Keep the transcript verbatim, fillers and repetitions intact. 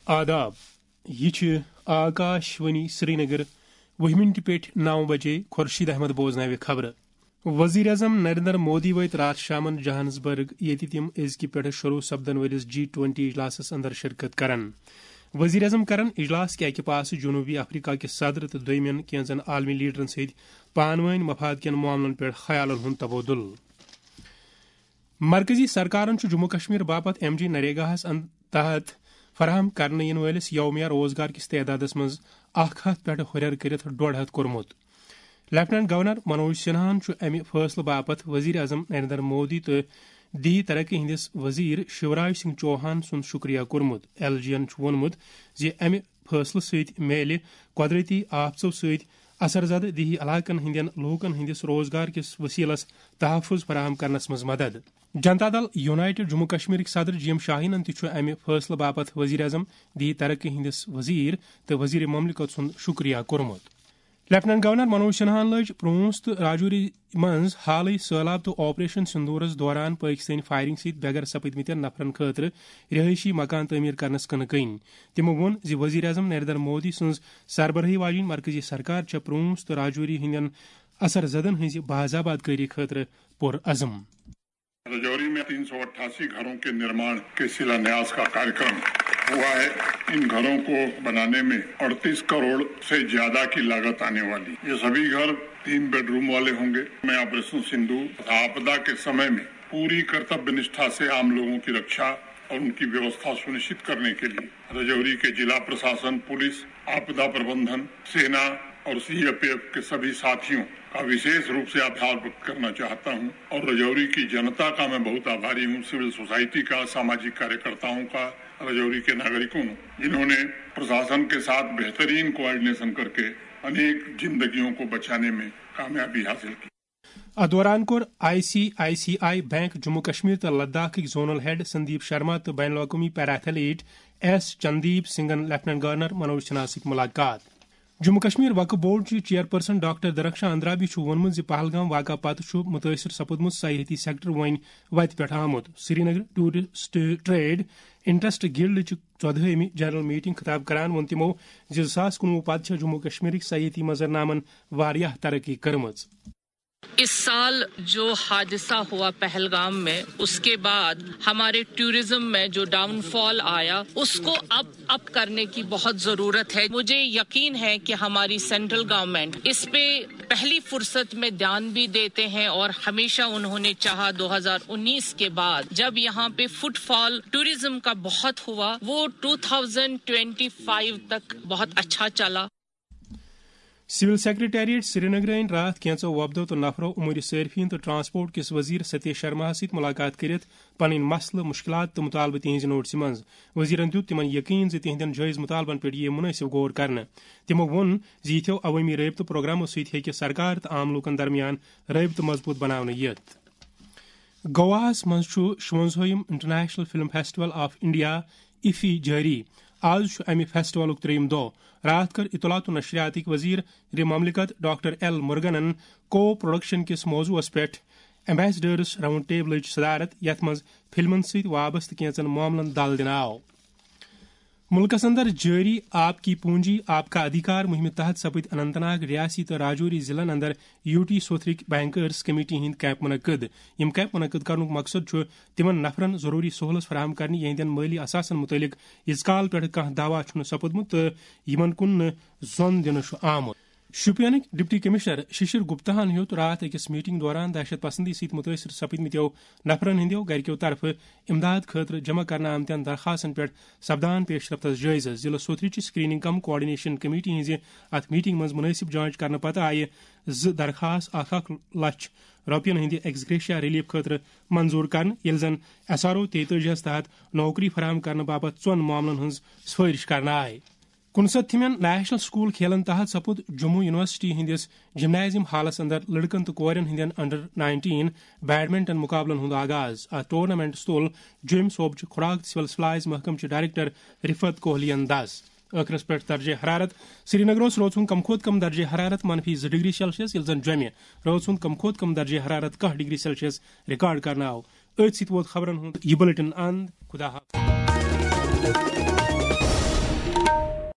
آداب، یہِ چھِ آکاش وانی سرینگر۔ وُہہِ مِنٹہِ پیٚٹھۍ نَو بجے۔ خورشید احمد بوزناوِ خبرٕ۔ وزیر اعظم نریندر مودی وٲتۍ راتھ شامن جوہانسبرگ، ییٚتہِ تِم أزکہِ پٮ۪ٹھٕ شروع سپدن وٲلِس جی ٹوینٹی اجلاسس اندر شرکت کرن۔ وزیر اعظم کرن اجلاس کہِ اکہِ پاسہٕ جنوبی افریقہ کہِ صدر تہٕ دوٚیمٮ۪ن کینٛژن عالمی لیڈرن سۭتۍ پانہٕ وٲنۍ مفاد کٮ۪ن معاملن پٮ۪ٹھ خیالن ہُنٛد تبادلہٕ۔ مرکزی سرکارن چھُ جموں کشمیر باپتھ ایم جی نریگاہس ان-، تحت فراہم کرنہٕ یِنہٕ وٲلِس یومیہ روزگار کِس تعدادس منٛز اکھ ہتھ پٮ۪ٹھ ہُرٮ۪ر کٔرِتھ ڈۄڈ ہتھ کوٚرمُت۔ لیفٹیننٹ گورنر منوج سنہاہن چھُ امہِ فٲصلہٕ باپتھ وزیر اعظم نریندر مودی تہٕ دیہی ترقی ہٕنٛدِس وزیر شیوراج سنگھ چوہان سُنٛد شُکریہ کوٚرمُت۔ ایل جی ین چھُ ووٚنمُت زِ امہِ فٲصلہٕ سۭتۍ میلہِ قۄدرٔتی آفژو سۭتۍ اثر زدٕ دیہی علاقن ہٕنٛدٮ۪ن لوٗکن ہٕنٛدِس روزگار کِس وسیلس تحفظ فراہم کرنس منٛز مدد۔ جنتا دل یونائیٹڈ جموں کشمیرٕکۍ صدر جی ایم شاہینن تہِ چھُ امہِ فٲصلہٕ باپتھ وزیر اعظم، دیہی ترقی ہٕنٛدِس وزیر تہٕ وزیر مملکت سُنٛد شُکریہ کوٚرمُت۔ لیفٹیننٹ گورنر منوج سنہاہن لٔج پرونس تہٕ راجوری منٛز حالٕے سٔہلاب تہٕ آپریشن سندورس دوران پٲکستٲنۍ فائرنگ سۭتۍ بے گھر سپٕدمٕتٮ۪ن نفرن خٲطرٕ رہٲیشی مکان تعمیر کرنس کٕنہٕ کٕنۍ۔ تِمو ووٚن زِ وزیر اعظم نریندر مودی سٕنٛز سربرٲہی واجیٚنۍ مرکزی سرکار چھےٚ پرونس تہٕ راجوری ہٕنٛدٮ۪ن اثر زدن ہٕنٛزِ باضاباد کٲری خٲطرٕ پُرعزم۔ رجوری میں تین سو اٹھاسی گھروں کے निर्माण के शिलान्यास का कार्यक्रम हुआ है। इन घरों को बनाने में अड़तीस करोड़ से ज्यादा की लागत आने वाली। ये सभी घर तीन बेडरूम वाले होंगे। मैं ऑपरेशन सिंदूर तथा आपदा के समय में पूरी कर्तव्य निष्ठा से आम लोगों की रक्षा और उनकी व्यवस्था सुनिश्चित करने के लिए रजौरी के जिला प्रशासन, पुलिस, आपदा प्रबंधन, सेना और सीएपीएफ के सभी साथियों का विशेष रूप से आभार व्यक्त करना चाहता हूं और रजौरी की जनता का मैं बहुत आभारी हूं, सिविल सोसाइटी का, सामाजिक कार्यकर्ताओं का, रजौरी के नागरिकों, जिन्होंने प्रशासन के साथ बेहतरीन कोऑर्डिनेशन करके अनेक जिंदगियों को बचाने में कामयाबी हासिल की। اتھ دوران کوٚر I C I C I bank Jammu Kashmir تہٕ لداخٕکۍ زونل ہیڈ سندیپ شرما تہٕ بین الاقوٲمی پیرا ایتھلیٹ ایس چندیپ سنگھن لیفٹیننٹ گورنر منوج سنہا سۭتۍ ملاقات۔ جموں کشمیر وقف بورڈ چہِ چیئرپرسن ڈاکٹر درخشان اندرابی چھُ ووٚنمُت زِ پہلگام واقعہ پتہٕ چھُ مُتٲثر سپُدمُت سیاحتی سیکٹر وۄنۍ وتہِ پٮ۪ٹھ آمُت۔ Srinagar tourist trade interest guild چہِ ژۄدہٲیمہِ جنرل میٹنگ خطاب کران ووٚن تِمو زِ زٕ ساس کُنوُہ پتہٕ چھےٚ جموں کشمیرٕکۍ سیاحتی منظرنامن واریاہ ترقی کٔرمٕژ۔ इस साल जो हादसा हुआ पहलगाम में, उसके बाद हमारे टूरिज्म में जो डाउनफॉल आया, उसको अब अप करने की बहुत जरूरत है। मुझे यकीन है कि हमारी सेंट्रल गवर्नमेंट इस पे पहली फुर्सत में ध्यान भी देते हैं और हमेशा उन्होंने चाहा, दो हज़ार उन्नीस के बाद जब यहाँ पे फुटफॉल टूरिज्म का बहुत हुआ, वो टू थाउजेंड ट्वेंटी फ़ाइव तक बहुत अच्छा चला। سول سیکرٹریٹ سرینگرٕ أنۍ راتھ کینٛژو وفدو تہٕ نفرو امور صارفین تہٕ ٹرانسپورٹ کِس وزیر ستیش شرماہس سۭتۍ ملاقات کٔرِتھ پنٕنۍ مسلہٕ، مشکلات تہٕ مطالبہٕ تِہنٛزِ نوٹسہِ منٛز۔ وزیرن دیُت تِمن یقین زِ تِہنٛدٮ۪ن جٲیز مطالبن پٮ۪ٹھ یِیہِ منٲسب غور کرنہٕ۔ تِمو ووٚن زِ یِتھیو عوٲمی رٲبطہٕ پروگرامو سۭتۍ ہیٚکہِ سرکار تہٕ عام لوٗکن درمیان رٲبطہٕ مضبوٗط بناونہٕ یِتھ۔ گواہس منٛز چھُ شُونٛزٲہِم international film festival of India, IFFI, جٲری۔ آز چھُ امہِ فیسٹیولُک ترٛیٚیِم دۄہ۔ راتھ کٔر اطلاعات و نشریاتٕکۍ وزیر مملکت ڈاکٹر ایل مرگنن کو پروڈکشن کِس موضوعس پٮ۪ٹھ ایمبیسڈرس راؤنڈ ٹیبلٕچ صدارت، یتھ منٛز فلمن سۭتۍ وابستہٕ کینٛژن معاملن دل دِنہٕ آو۔ مُلکَس اندر جٲری آپ کی پونجی، آپ کا ادھیکار مُہِمہِ تحت سپٕدۍ اننت ناگ، ریاسی تہٕ راجوری ضلعن اندر یوٗ ٹی سوتھرٕکۍ بینکرز کمیٹی ہٕنٛدۍ کیمپ منعقد۔ یِم کیمپ منعقد کرنُک مقصد چھُ تِمَن نفرَن ضروٗری سہولت فراہم کرنہٕ، یِہنٛدٮ۪ن مٲلی اثاثن مُتعلِق ییٖتِس کال پٮ۪ٹھ کانٛہہ دعویٰ چھُنہٕ سپُدمُت تہٕ یِمَن کُن نہٕ زۄن دِنہٕ چھُ آمُت۔ شوپینٕکۍ ڈپٹی کمشنر ششر گپتاہن ہیوٚت راتھ أکِس میٹنگ دوران دہشت پسندی سۭتۍ مُتٲثر سپٕدمٕتیو نفرن ہٕنٛدیو گرِکیو طرفہٕ امداد خٲطرٕ جمع کرنہٕ آمتٮ۪ن درخواستن پٮ۪ٹھ سپدان پیش رفتس جٲیزٕ۔ ضلعہٕ سوتھرِ چہِ سکریننگ کم کوآرڈینیشن کمیٹی ہٕنٛزِ اتھ میٹنگ منٛز مُنٲسِب جانچ کرنہٕ پتہٕ آیہِ زٕ درخواست اکھ اکھ لچھ رۄپین ہٕنٛدِ ایکس گریشیا ریلیف خٲطرٕ منظور کرنہٕ، ییٚلہِ زن ایس آر او تیتٲجی ہس تحت نوکری فراہم کرنہٕ باپتھ ژۄن معاملن ہٕنٛز سفٲرش کرنہٕ آیہِ۔ کُنسَتتھمٮ۪ن نیشنل سکول کھیلن تحت سپُد جموں یونیورسٹی ہٕنٛدِس جمنازیم ہالس اندر لڑکن تہٕ کورٮ۪ن ہٕنٛدٮ۪ن انڈر نائنٹین بیڈمنٹن مقابلن ہُنٛد آغاز۔ اتھ ٹورنامنٹس تُل جوٚمۍ صوبچہِ خوراک تہٕ سول سپلائز محکمہٕ چہِ ڈائریکٹر رفعت کوہلی یَن دَس۔ ٲخرس پٮ۪ٹھ درجہ حرارت۔ سرینگرس روزُن کم کھۄتہٕ کم درجہ حرارت منفی زٕ ڈگری سیلسیس، ییٚلہِ زن جوٚمہِ روزُن کم کھۄتہٕ کم درجہ حرارت کاہ ڈگری سیلسیس ریکارڈ کرنہٕ آو۔ أتھۍ سۭتۍ ووت خبرن ہُنٛد یہِ بلیٹن اند۔ خدا حافظ۔